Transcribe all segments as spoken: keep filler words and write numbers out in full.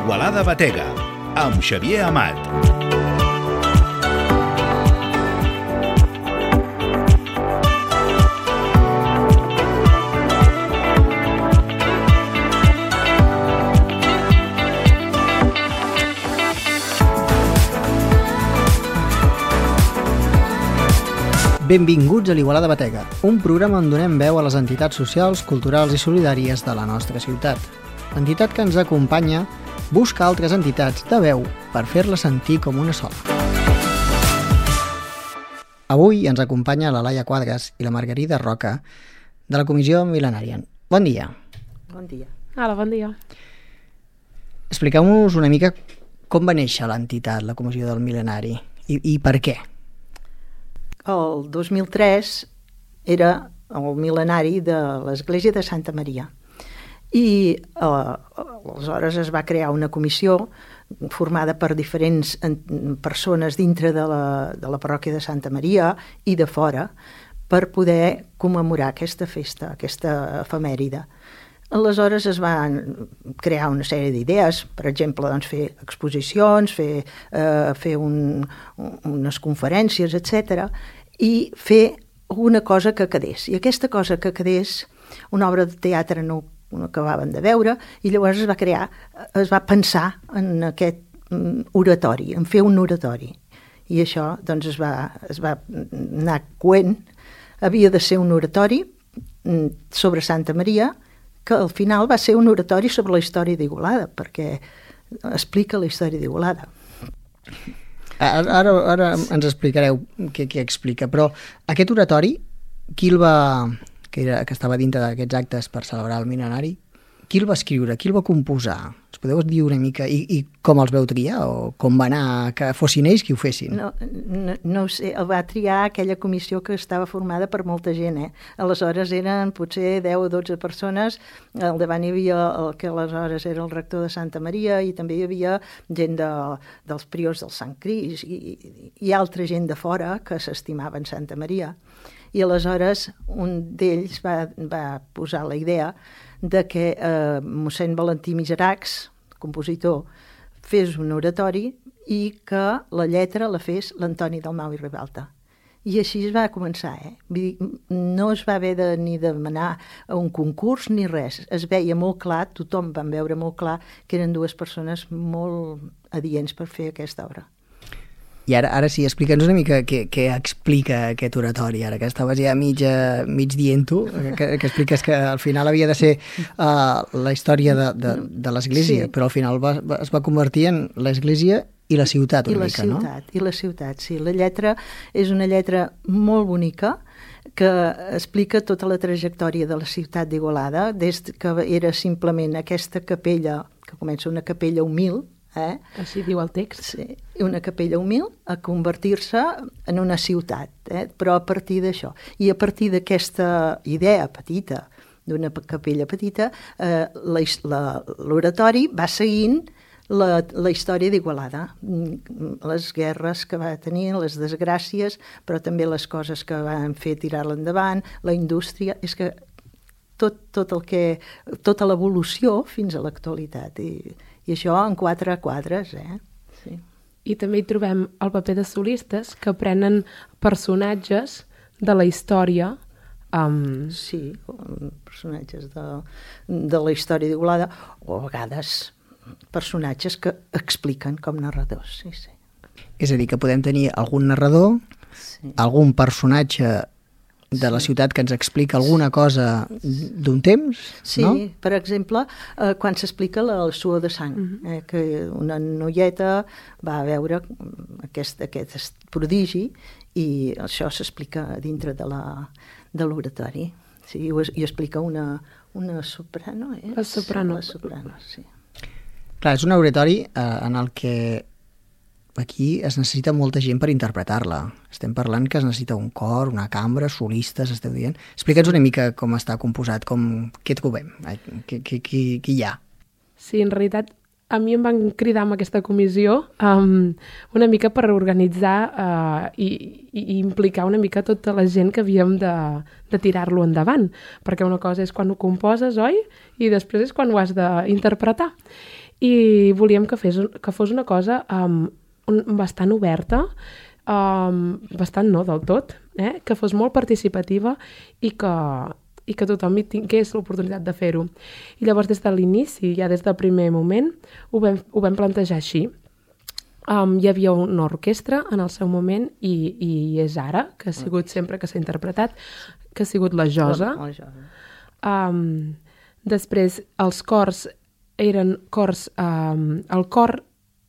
Igualada Batega, amb Xavier Amat. Benvinguts a l'Igualada Batega, un programa on donem veu a les entitats socials, culturals i solidàries de la nostra ciutat. L'entitat que ens acompanya busca altres entitats de veu per fer-la sentir com una sola. Avui ens acompanya la Laia Quadras i la Margarida Roca de la Comissió Mil·lenària. Bon dia. Bon dia. Hola, bon dia. Expliqueu-nos una mica com va néixer l'entitat, la Comissió del Mil·lenari, i, i per què. El dos mil tres era el mil·lenari de l'Església de Santa Maria i eh, aleshores es va crear una comissió formada per diferents persones dintre de la, de la parròquia de Santa Maria i de fora per poder commemorar aquesta festa, aquesta efemèride. Aleshores es van crear una sèrie d'idees, per exemple, doncs, fer exposicions, fer, eh, fer un, unes conferències, etcètera, i fer una cosa que quedés. I aquesta cosa que quedés, una obra de teatre no, no acabaven de veure, i llavors es va crear, es va pensar en aquest oratori, en fer un oratori. I això doncs, es, va, es va anar coent. Havia de ser un oratori sobre Santa Maria, que al final va ser un oratori sobre la història d'Igualada, perquè explica la història d'Igualada. Ara, ara, ara ens explicareu què, què explica, però aquest oratori, qui el va, que, era, que estava dintre d'aquests actes per celebrar el mil·lenari, qui el va escriure, qui el va composar? Ens podeu dir una mica, i, i com els veu triar, o com va anar que fossin ells qui ho fessin? No, no, no ho sé, el va triar aquella comissió que estava formada per molta gent, eh? Aleshores eren potser deu o dotze persones, al davant hi havia el que aleshores era el rector de Santa Maria i també hi havia gent de, dels priors del Sant Crist i, i, i altra gent de fora que s'estimaven Santa Maria. I aleshores un d'ells va, va posar la idea de que eh, mossèn Valentí Miseracs, compositor, fes un oratori i que la lletra la fes l'Antoni Dalmau i Ribalta. I així es va començar, eh? Vull dir, no es va haver de, ni de demanar un concurs ni res. Es veia molt clar, tothom van veure molt clar que eren dues persones molt adients per fer aquesta obra. I ara, ara sí, explica'ns una mica què, què explica aquest oratori, ara que estaves ja mig, mig dient-ho, que, que expliques que al final havia de ser uh, la història de, de, de l'Església, sí. Però al final va, va, es va convertir en l'Església i la ciutat una I la mica, ciutat, no? I la ciutat, sí. La lletra és una lletra molt bonica que explica tota la trajectòria de la ciutat d'Igualada, des que era simplement aquesta capella, que comença una capella humil, Eh? Així diu el text. Sí, una capella humil a convertir-se en una ciutat, eh? Però a partir d'això. I a partir d'aquesta idea petita, d'una capella petita, eh, l'oratori va seguint la, la història d'Igualada, les guerres que va tenir, les desgràcies, però també les coses que van fer tirar-la endavant, la indústria, és que tot, tot el que, tota l'evolució fins a l'actualitat. I, I això en quatre quadres, eh? Sí. I també hi trobem el paper de solistes que prenen personatges de la història. Um... Sí, personatges de, de la història d'Igualada, o a vegades personatges que expliquen com narradors, sí, sí. És a dir, que podem tenir algun narrador, sí. Algun personatge de la ciutat que ens explica alguna cosa d'un temps, sí, no? Sí, per exemple, eh, quan s'explica el suor de sang, uh-huh. eh, que una noieta va veure aquest, aquest prodigi i això s'explica dintre de la, de l'oratori. Sí, i, i explica una, una soprano, eh? La soprano. La soprano, sí. Clar, és un oratori eh, en el que aquí es necessita molta gent per interpretar-la. Estem parlant que es necessita un cor, una cambra, solistes, esteu dient. Explica'ns una mica com està composat, com, què trobem, qui, qui, qui, qui hi ha. Sí, en realitat, a mi em van cridar amb aquesta comissió um, una mica per organitzar uh, i, i implicar una mica tota la gent que havíem de, de tirar-lo endavant, perquè una cosa és quan ho composes, oi? I després és quan ho has d'interpretar. i volíem que, fes, que fos una cosa um, un, bastant oberta, um, bastant no del tot, eh? Que fos molt participativa i que, i que tothom hi tingués l'oportunitat de fer-ho. I llavors des de l'inici, ja des del primer moment, ho vam, ho vam plantejar així. Um, hi havia una orquestra en el seu moment i, i és ara, que ha sigut sempre que s'ha interpretat, que ha sigut la Josa. La, la Josa. Um, després, els cors eren cors... Um, el cor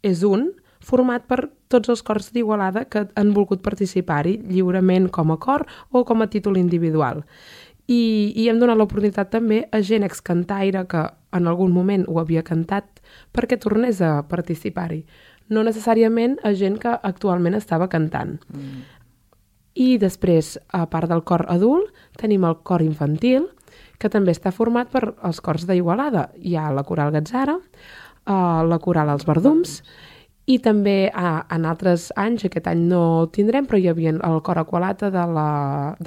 és un, format per tots els cors d'Igualada que han volgut participar-hi lliurement com a cor o com a títol individual. I, i hem donat l'oportunitat també a gent excantaire que en algun moment ho havia cantat perquè tornés a participar-hi. No necessàriament a gent que actualment estava cantant. Mm. I després, a part del cor adult, tenim el cor infantil, que també està format per els cors d'Igualada. Hi ha la Coral Gatzara, uh, la Coral Els Verdums, i també uh, en altres anys, aquest any no ho tindrem, però hi havia el cor Aqualata de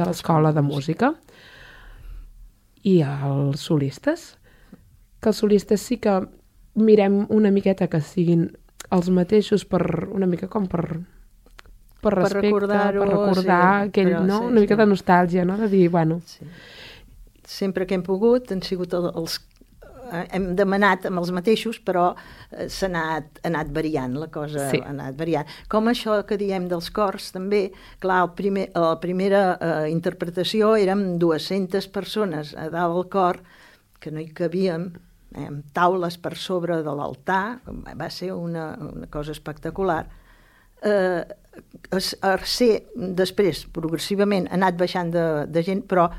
l'Escola de Música. I els solistes, que els solistes sí que mirem una miqueta que siguin els mateixos per una mica com per, per respecte, per, per recordar sí, aquell, no? Sí, una mica sí. De nostàlgia, no? De dir, bueno... Sí. Sempre que hem pogut han sigut els... Hem demanat amb els mateixos, però s'ha anat, ha anat variant, la cosa sí. Ha anat variant. Com això que diem dels cors, també, clar, el primer, la primera eh, interpretació érem dues-centes persones a dalt del cor, que no hi cabíem, eh, amb taules per sobre de l'altar, va ser una, una cosa espectacular. Eh, a ser, després, progressivament, ha anat baixant de, de gent, però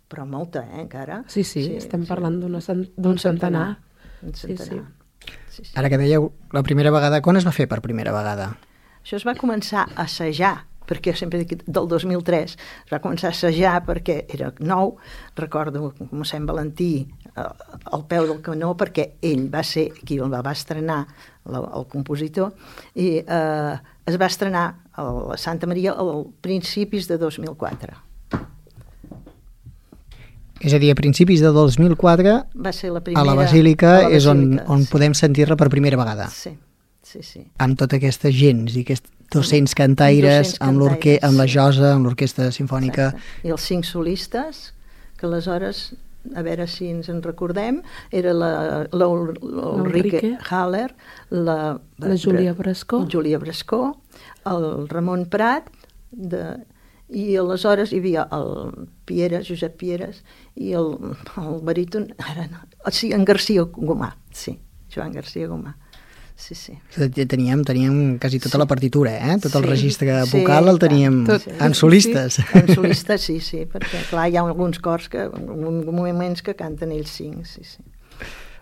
però molta, eh, encara. Sí, sí, sí estem sí. Parlant d'un centenar. centenar. Un centenar. Sí, sí. Sí, sí. Ara que dèieu, la primera vegada, quan es va fer per primera vegada? Això es va començar a assajar, perquè sempre dic del dos mil tres, es va començar a assajar perquè era nou, recordo mossèn Valentí al peu del canó, perquè ell va ser qui el va estrenar, el, el compositor, i eh, es va estrenar a la Santa Maria al principis de dos mil quatre. És a dir, a principis de dos mil quatre, va ser la primera, a la Basílica, a la Basílica és on, on sí. Podem sentir-la per primera vegada. Sí, sí, sí. Amb tota aquesta gent, i aquests dos-cents cantaires, amb, cantaires amb la Josa, amb l'Orquestra Simfònica. Exacte. I els cinc solistes, que aleshores, a veure si ens en recordem, era l'Ulrike Haller, la, la Júlia Brascó, Júlia Brascó, el Ramon Prat, de... i aleshores hi havia el Pieres, Josep Pieres, i el, el baríton, ara no, o sigui, en Garcia Gomà, sí, Joan Garcia Gomà, sí, sí. Teníem, teníem quasi tota sí. La partitura, eh? Tot el sí, registre vocal sí, el teníem tot, en solistes. Sí, en solistes, sí, sí, perquè clar, hi ha alguns cors, que, alguns moments que canten ells cinc, sí, sí.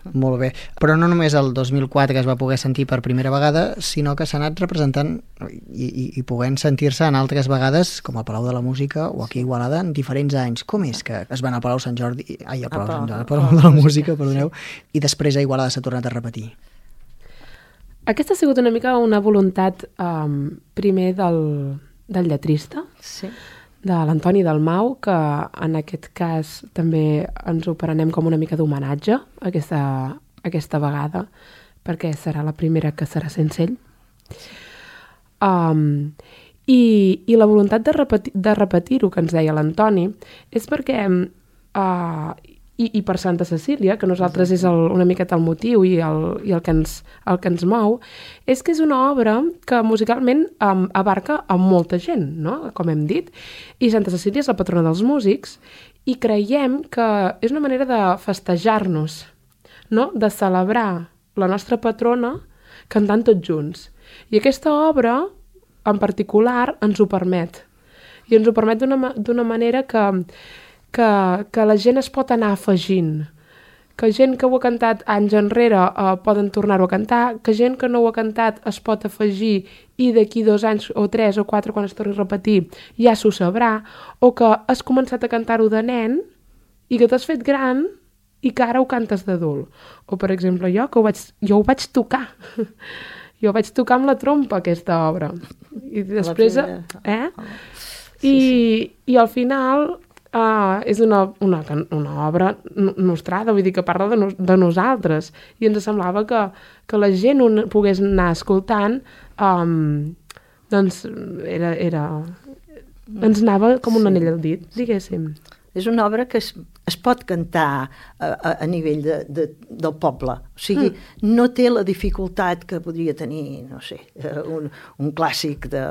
Molt bé, però no només el dos mil quatre que es va poder sentir per primera vegada, sinó que s'ha anat representant i, i, i podent sentir-se en altres vegades, com al Palau de la Música o aquí a Igualada, en diferents anys. Com és que es van al Palau Sant Jordi, ai, al Palau Sant Jordi, al Palau de la Música, perdoneu, i després a Igualada s'ha tornat a repetir? Aquesta ha sigut una mica una voluntat um, primer del, del lletrista, sí. De l'Antoni Dalmau, que en aquest cas també ens ho prenem com una mica d'homenatge aquesta, aquesta vegada, perquè serà la primera que serà sense ell. Um, i, i la voluntat de, repeti, de repetir-ho que ens deia l'Antoni és perquè uh, i, i per Santa Cecília, que nosaltres és el, una miqueta el motiu i, el, i el, que ens, el que ens mou, és que és una obra que musicalment um, abarca a molta gent, no? Com hem dit, i Santa Cecília és la patrona dels músics, i creiem que és una manera de festejar-nos, no? De celebrar la nostra patrona cantant tots junts. I aquesta obra, en particular, ens ho permet. I ens ho permet d'una, d'una manera que... Que, que la gent es pot anar afegint, que gent que ho ha cantat anys enrere eh, poden tornar-ho a cantar, que gent que no ho ha cantat es pot afegir i d'aquí dos anys o tres o quatre quan es torni a repetir ja s'ho sabrà, o que has començat a cantar-ho de nen i que t'has fet gran i que ara ho cantes d'adult. O per exemple jo, que ho vaig, jo ho vaig tocar, jo vaig tocar amb la trompa aquesta obra i després, eh? Sí, I, sí. i al final Uh, és una, una, una obra nostrada, vull dir que parla de, no, de nosaltres, i ens semblava que, que la gent ho pogués anar escoltant, um, doncs era, era... ens anava com un Sí. anell al dit, diguéssim. És una obra que es, es pot cantar a, a, a nivell de, de, del poble. O sigui, mm. no té la dificultat que podria tenir, no sé, un, un clàssic de...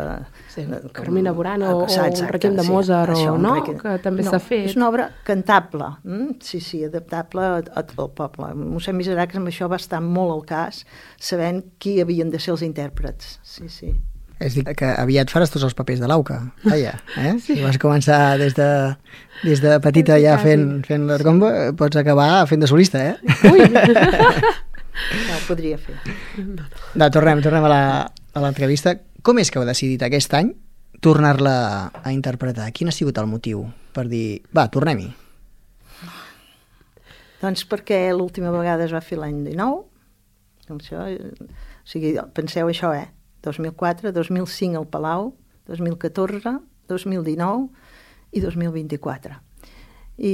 Sí, de Carmina Burana o, o exacte, un requiem de Mozart, sí, o, això, no? requiem... Que també no, s'ha fet. És una obra cantable, mm? sí, sí, adaptable al poble. Mossèn Miseracs amb això va estar molt al cas, sabent qui havien de ser els intèrprets. Sí, sí. És dir, que aviat faràs tots els papers de l'Auca, vaja, eh? Si vas començar des de, des de petita ja fent, fent l'Arcomba, pots acabar fent de solista, eh? Ui! Ja ho podria fer. No, tornem, tornem a la- a l'entrevista. Com és que heu decidit aquest any tornar-la a interpretar? Quin ha sigut el motiu per dir, va, tornem-hi? Doncs perquè l'última vegada es va fer l'any dinou, això, o sigui, penseu això, eh? dos mil quatre, dos mil cinc al Palau, dos mil catorze, dos mil dinou i dos mil vint-i-quatre. I,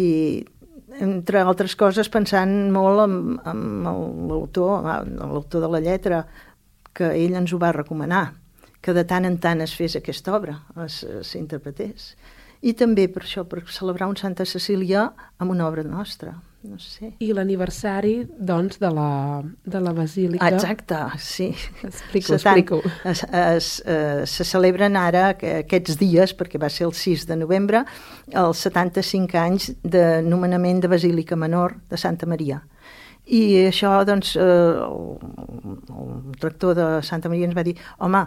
entre altres coses, pensant molt en, en l'autor, l'autor de la lletra, que ell ens ho va recomanar, que de tant en tant es fes aquesta obra, s'interpretés. I també per això, per celebrar un Santa Cecília amb una obra nostra. No sé. I l'aniversari, doncs, de la, de la Basílica. Ah, exacte, sí. Explico, Se tant- explico. Es, es, eh, se celebren ara que- aquests dies, perquè va ser el sis de novembre, els setanta-cinc anys de nomenament de Basílica Menor de Santa Maria. I això, doncs, eh, el, el rector de Santa Maria ens va dir, home,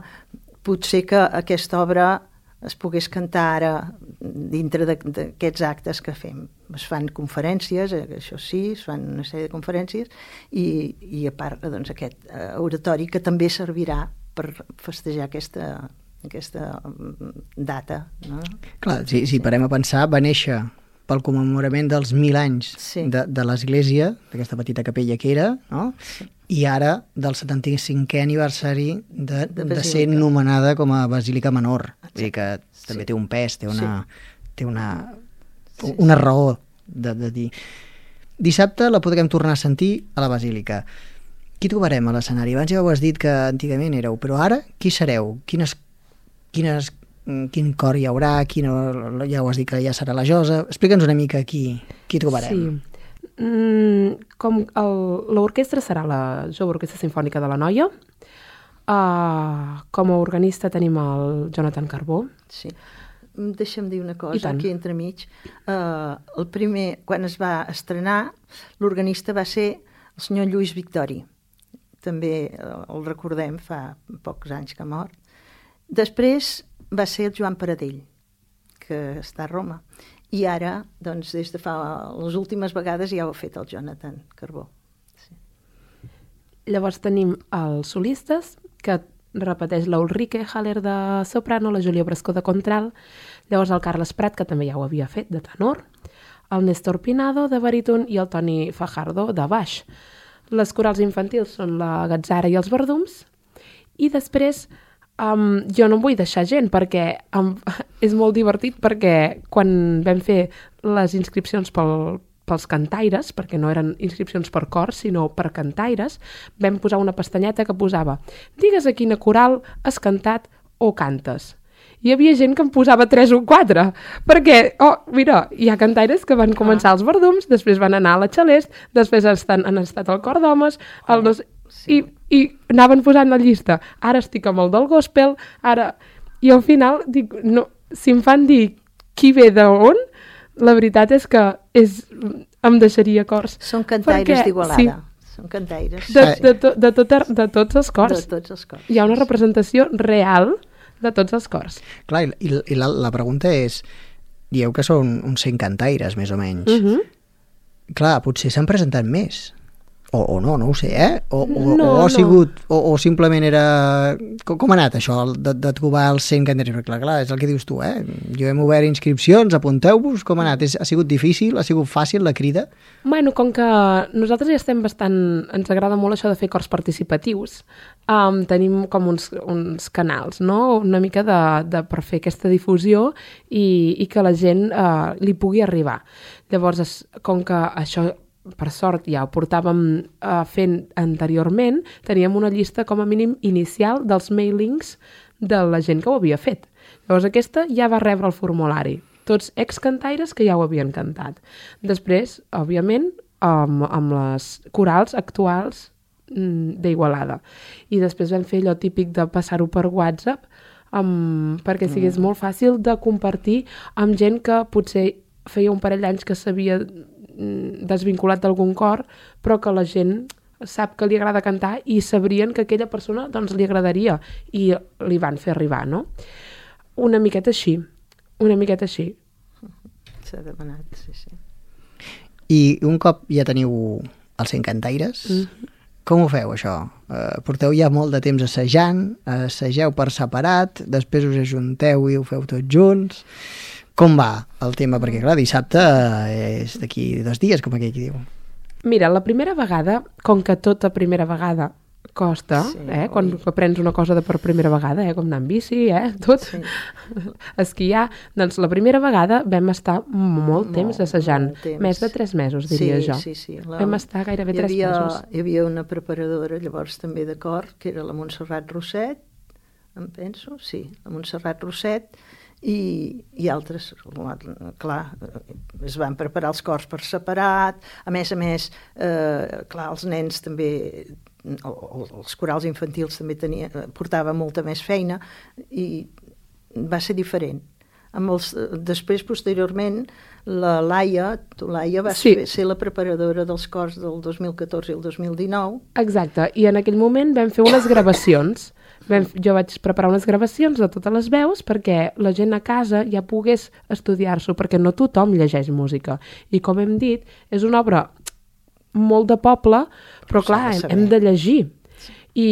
potser que aquesta obra es pogués cantar ara dintre de- d'aquests actes que fem. Es fan conferències, eh, això sí, es fan una sèrie de conferències, i, i a part, doncs, aquest eh, oratori que també servirà per festejar aquesta, aquesta mm, data. No? Clar, si, si parem a pensar, va néixer pel commemorament dels mil anys Sí. de, de l'església, d'aquesta petita capella que era, no? I ara del setanta-cinquè aniversari de, De de, ser Basílica. nomenada com a Basílica Menor. Vull dir que Sí. també té un pes, té una, té una, Sí, una raó de, de dir... Dissabte la podrem tornar a sentir a la Basílica. Qui trobarem a l'escenari? Abans ja ho has dit que antigament éreu, però ara qui sereu? Quines, quines, quin cor hi haurà? Quina, ja ho has dit que ja serà la Josa. Explica'ns una mica qui, qui trobarem. Sí. Mm, com el- l'orquestra serà la Jove Orquestra Simfònica de la Noia. Uh, com a organista tenim el Jonathan Carbó. Sí. Deixa'm dir una I cosa, tant. aquí entremig. Uh, el primer, quan es va estrenar, l'organista va ser el senyor Lluís Victori. També uh, el recordem, fa pocs anys que ha mort. Després va ser el Joan Paradell, que està a Roma. I ara, doncs, des de fa les últimes vegades ja ho ha fet el Jonathan Carbó. Sí. Llavors tenim els solistes, que repeteix l'Ulrike Haller de soprano, la Júlia Brascó de contralt, llavors el Carles Prat, que també ja ho havia fet, de tenor, el Néstor Pinado, de baríton, i el Toni Fajardo, de baix. Les corals infantils són la Gatzara i els Verdums, i després um, jo no em vull deixar gent, perquè um, és molt divertit, perquè quan vam fer les inscripcions pel, pels cantaires, perquè no eren inscripcions per cor, sinó per cantaires, vam posar una pestanyeta que posava digues a quina coral has cantat o cantes. Hi havia gent que em posava tres o quatre, perquè, oh, mira, hi ha cantaires que van començar als Verdums, després van anar a la Xalest, després estan, han estat al Cor d'Homes, el no sé, i, i anaven posant la llista. Ara estic amb el del gospel, ara... I al final, dic, no, si em fan dir qui ve d'on, la veritat és que és, em deixaria cors. Són cantaires Perquè, d'Igualada. sí, Són cantaires. de, de, to, de, tot, de tots els cors. De tots els cors. Hi ha una representació real de tots els cors. Clar, i, i, i la, la pregunta és, dieu que són uns cent cantaires, més o menys. Uh -huh. Clar, potser s'han presentat més. O, o no, no ho sé, eh? O, o, No, o ha no. sigut, o, o simplement era... Com, com ha anat això, el de, de trobar els cent cantaires? Clar, clar, és el que dius tu, eh? Jo hem obert inscripcions, apunteu-vos, com ha anat? És, ha sigut difícil, ha sigut fàcil la crida? Bueno, com que nosaltres ja estem bastant... Ens agrada molt això de fer cors participatius, um, tenim com uns, uns canals, no? Una mica de, de, per fer aquesta difusió i, i que la gent uh, li pugui arribar. Llavors, es, com que això, per sort, ja ho portàvem uh, fent anteriorment, teníem una llista com a mínim inicial dels mailings de la gent que ho havia fet. Llavors, aquesta ja va rebre el formulari. Tots ex-cantaires que ja ho havien cantat. Després, òbviament, amb, amb les corals actuals mm, d'Igualada. I després vam fer allò típic de passar-ho per WhatsApp um, perquè sigués mm. molt fàcil de compartir amb gent que potser feia un parell d'anys que s'havia desvinculat d'algun cor, però que la gent sap que li agrada cantar i sabrien que aquella persona doncs, li agradaria i li van fer arribar, no? Una miqueta així, una miqueta així. S'ha demanat, sí, sí. I un cop ja teniu els cent cantaires, mm-hmm. com ho feu, això? Uh, porteu ja molt de temps assajant, assageu per separat, després us ajunteu i ho feu tots junts... Com va el tema? Perquè, clar, dissabte és d'aquí dos dies, com aquell qui diu. Mira, la primera vegada, com que tota primera vegada costa, sí, eh? Quan aprens una cosa de per primera vegada, eh? Com anar amb bici, eh? Tot. Sí. Esquiar. Doncs la primera vegada vam estar molt temps assajant. Temps. Més de tres mesos, diria sí, jo. Sí, sí. La... Vam estar gairebé tres havia, mesos. Hi havia una preparadora, llavors també de cor, que era la Montserrat Roset, em penso, sí, la Montserrat Roset, i, i altres, clar, es van preparar els cors per separat, a més a més, eh, clar, els nens també, els corals infantils també tenia, portava molta més feina i va ser diferent. Amb els, després, posteriorment, la Laia, tu Laia, vas sí. ser la preparadora dels cors del dos mil catorze i el dos mil dinou. Exacte, i en aquell moment vam fer unes gravacions. Vam, jo vaig preparar unes gravacions de totes les veus perquè la gent a casa ja pogués estudiar-s'ho, perquè no tothom llegeix música. I com hem dit, és una obra molt de poble, però clar, hem, hem de llegir. I,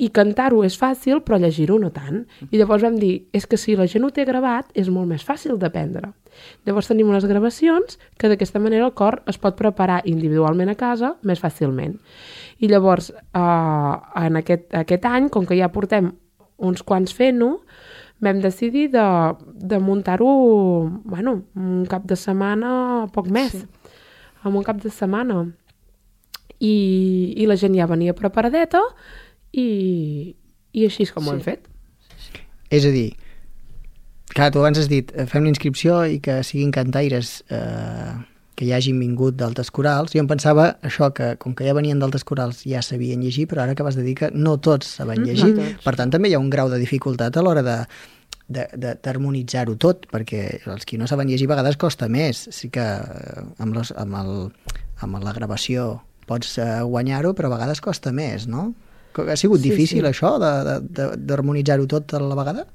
i cantar-ho és fàcil, però llegir-ho no tant. I llavors vam dir, és que si la gent ho té gravat, és molt més fàcil d'aprendre. Llavors tenim unes gravacions que d'aquesta manera el cor es pot preparar individualment a casa més fàcilment. I llavors, eh, en aquest, aquest any, com que ja portem uns quants fent-ho, vam decidir de, de muntar-ho, bueno, un cap de setmana, poc més, sí. en un cap de setmana. I, i la gent ja venia preparadeta i, i així és com sí. ho hem fet. És a dir, clar, tu abans has dit, fem l'inscripció i que siguin cantaires... Eh... que ja hagin vingut d'altres corals. Jo em pensava això, que com que ja venien d'altres corals ja sabien llegir, però ara acabes de dir que no tots saben llegir. Mm, no per tant, també hi ha un grau de dificultat a l'hora de, de, de, d'harmonitzar-ho tot, perquè els qui no saben llegir a vegades costa més. Sí que amb, los, amb, el, amb la gravació pots guanyar-ho, però a vegades costa més, no? Ha sigut sí, difícil sí. això, de, de, de, d'harmonitzar-ho tot a la vegada?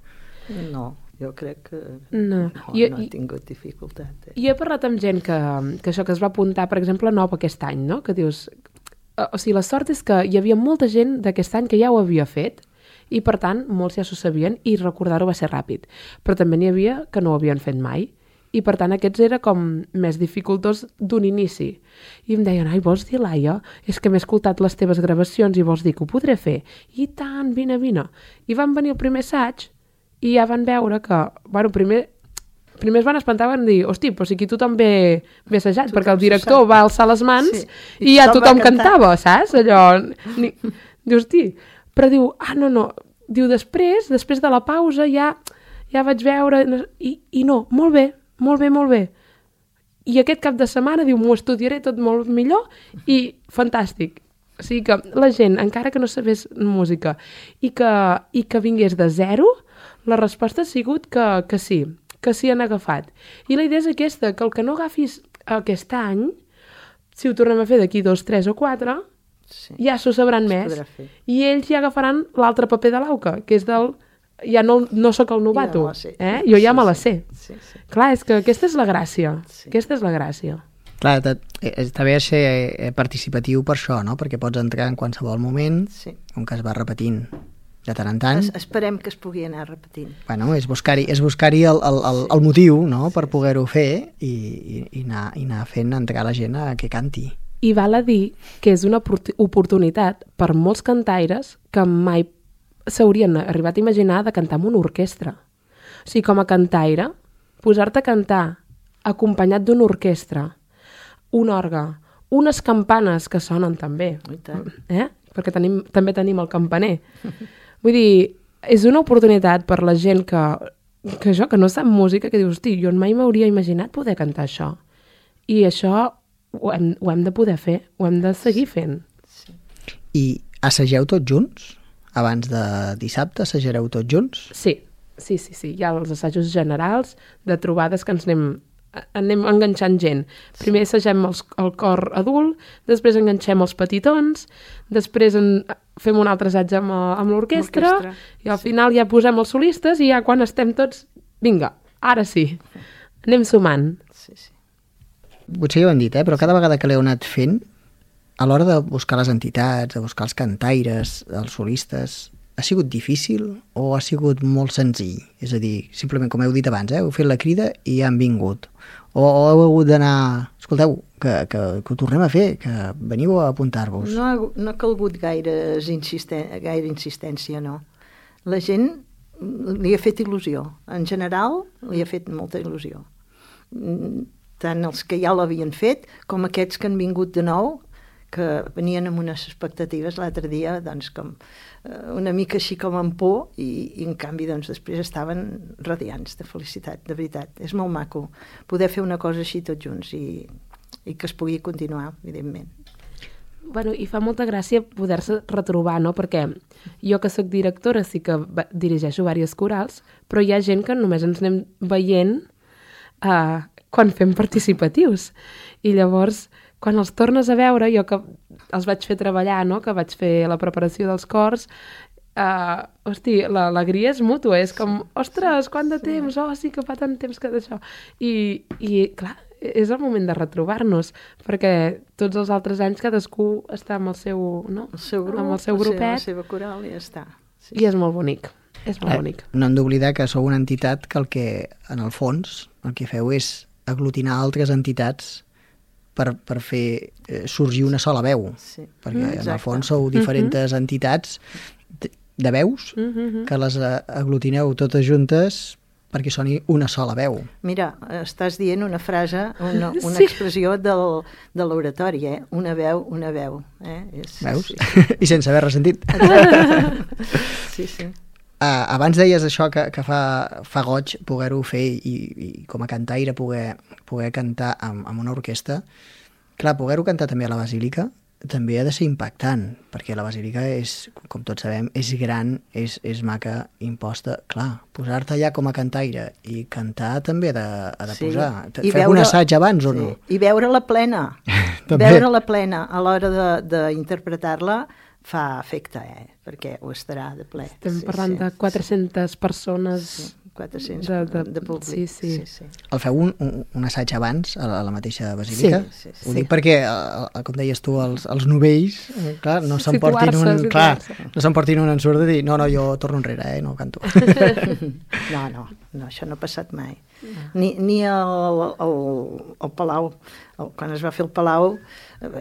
No. Jo crec que no, no, jo, no he tingut dificultat. Eh? Jo he parlat amb gent que, que això que es va apuntar, per exemple, nou aquest any, no? Que dius... O sigui, la sort és que hi havia molta gent d'aquest any que ja ho havia fet i, per tant, molts ja s'ho sabien i recordar-ho va ser ràpid. Però també n'hi havia que no ho havien fet mai i, per tant, aquests era com més dificultós d'un inici. I em deien, ai, vols dir, Laia? És que m'he escoltat les teves gravacions i vols dir que ho podré fer? I tant, vine, vine. I van venir el primer assaig i ja van veure que, bueno, primer, primer es van espantar, van dir, hosti, però si aquí tothom ve, ve assajat, perquè el director va alçar les mans sí. i, i ja tothom cantava, saps? Allò, ni, diu, hosti, però diu, ah, no, no, diu, després, després de la pausa, ja, ja vaig veure, i, i no, molt bé, molt bé, molt bé. I aquest cap de setmana, diu, m'ho estudiaré tot molt millor, i fantàstic. O sigui que la gent, encara que no sabés música, i que, i que vingués de zero, la resposta ha sigut que, que sí, que sí han agafat. I la idea és aquesta, que el que no agafis aquest any, si ho tornem a fer d'aquí dos, tres o quatre, sí. ja s'ho sabran més. I ells ja agafaran l'altre paper de l'auca, que és del... Ja no, no sóc el novato, ja eh? Jo ja sí, me la sé. Sí, sí. Clar, és que aquesta és la gràcia. Sí. Aquesta és la gràcia. Clar, està bé ser participatiu per això, no? Perquè pots entrar en qualsevol moment, Sí. on que es va repetint de tant en tant. Es, esperem que es pugui anar repetint. Bueno, és buscar-hi és buscar-hi el, el, el, el motiu, no?, per poder-ho fer i, i, i, anar, i anar fent entrar la gent a que canti. I val a dir que és una opor- oportunitat per molts cantaires que mai s'haurien arribat a imaginar de cantar amb una orquestra. O sigui, com a cantaire, posar-te a cantar acompanyat d'una orquestra, un orgue, unes campanes que sonen també, I tant. eh? Perquè tenim, també tenim el campaner. Vull dir, és una oportunitat per la gent que, que això, que no sap música, que diu, hosti, jo mai m'hauria imaginat poder cantar això. I això ho hem, ho hem de poder fer, ho hem de seguir fent. I assageu tots junts? Abans de dissabte assajareu tots junts? Sí, sí, sí, sí. Hi ha els assajos generals de trobades que ens anem, anem enganxant gent. Primer assagem els, el cor adult, després enganxem els petitons, després en, fem un altre assaig amb, amb l'orquestra, L'orquestra, i al final ja posem els solistes i ja quan estem tots, vinga, ara sí, anem sumant. Sí, sí. Potser ja ho hem dit, eh? Però cada vegada que l'heu anat fent, a l'hora de buscar les entitats, de buscar els cantaires, els solistes, ha sigut difícil o ha sigut molt senzill? És a dir, simplement, com heu dit abans, eh? heu fet la crida i ja han vingut. O, o heu hagut d'anar... Escolteu, que, que, que ho tornem a fer, que veniu a apuntar-vos. No ha, no ha calgut gaire, insisten, gaire insistència, no. La gent li ha fet il·lusió. En general, li ha fet molta il·lusió. Tant els que ja l'havien fet, com aquests que han vingut de nou, que venien amb unes expectatives l'altre dia, doncs, com eh, una mica així com amb por, i, i en canvi, doncs, després estaven radiants de felicitat, de veritat. És molt maco poder fer una cosa així tots junts i, i que es pugui continuar, evidentment. Bueno, i fa molta gràcia poder-se retrobar, no? Perquè jo que sóc directora sí que dirigeixo diversos corals, però hi ha gent que només ens anem veient eh, quan fem participatius. I llavors, quan els tornes a veure, jo que els vaig fer treballar, no? Que vaig fer la preparació dels cors, uh, hosti, l'alegria és mútua, és com, ostres, quant de temps, oh, sí que fa tant temps que d'això. I, I, clar, és el moment de retrobar-nos, perquè tots els altres anys cadascú està amb el seu, no? El seu grup, amb el seu grupet, la seva coral i ja està. Sí, i és molt bonic, és molt Eh, bonic. no hem d'oblidar que sou una entitat que el que, en el fons, el que feu és aglutinar altres entitats per, per fer eh, sorgir una sola veu. Sí. Perquè en el Exacte. fons sou diferents uh -huh. entitats de, de veus Uh -huh. que les eh, aglutineu totes juntes perquè soni una sola veu. Mira, estàs dient una frase, una, una Sí. expressió del, de l'oratori, eh? Una veu, una veu. Eh? És, Veus? Sí, I sense haver ressentit. sí. sí. Uh, abans deies això que, que fa, fa goig poder-ho fer i, i com a cantaire poder, poder cantar amb, amb una orquestra. Clar, poder-ho cantar també a la Basílica també ha de ser impactant, perquè la Basílica és, com tots sabem, és gran, és, és maca, imposta. Clar, posar-te allà com a cantaire i cantar també ha de, ha de Sí. posar. I Feu veure- un assaig abans o Sí. no? I veure-la plena. També. Veure-la plena a l'hora d'interpretar-la fa efecte, eh? Perquè ho estarà de ple. Estem Sí, parlant sí. de quatre-centes persones... Sí, quatre-cents de- de, de- de públic. sí, sí. sí, sí. El feu un, un, un assaig abans a la, a la mateixa Basílica? Sí, sí, sí. Ho dic perquè, eh, com deies tu, els, els novells, eh, clar, no s'emportin Situar-se, un, clar, situar-se. no s'emportin un ensurt de dir no, no, jo torno enrere, eh, no canto. No, no, no, això no ha passat mai. Ni, ni al, al, al Palau, el, quan es va fer el Palau,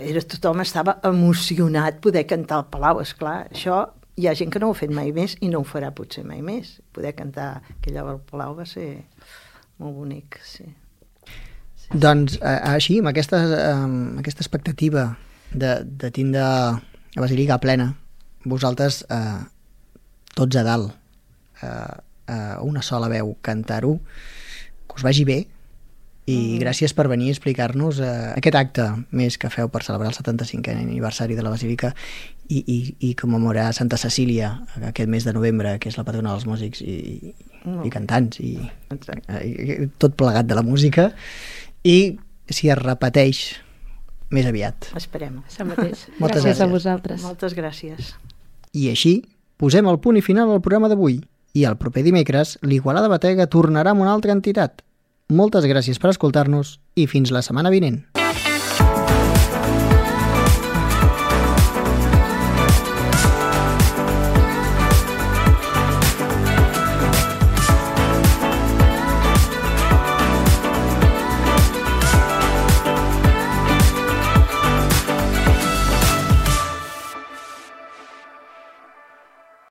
era, tothom estava emocionat poder cantar al Palau, esclar. Això hi ha gent que no ho ha fet mai més i no ho farà potser mai més. Poder cantar aquella al Palau va ser molt bonic, sí. Doncs eh, així, amb aquesta, eh, amb aquesta expectativa de, de tindre la Basílica plena, vosaltres eh, tots a dalt, eh, eh, una sola veu, cantar-ho, que us vagi bé, i mm. gràcies per venir a explicar-nos eh, aquest acte més que feu per celebrar el setanta-cinquè aniversari de la Basílica i, i, i commemorar Santa Cecília aquest mes de novembre, que és la patrona dels músics i, Mm. i cantants i, Exacte. i tot plegat de la música, i si es repeteix més aviat. Esperem. Això mateix. Moltes gràcies a gràcies. vosaltres. Moltes gràcies. I així posem el punt i final al programa d'avui, i el proper dimecres l'Igualada Batega tornarà amb una altra entitat. Moltes gràcies per escoltar-nos i fins la setmana vinent.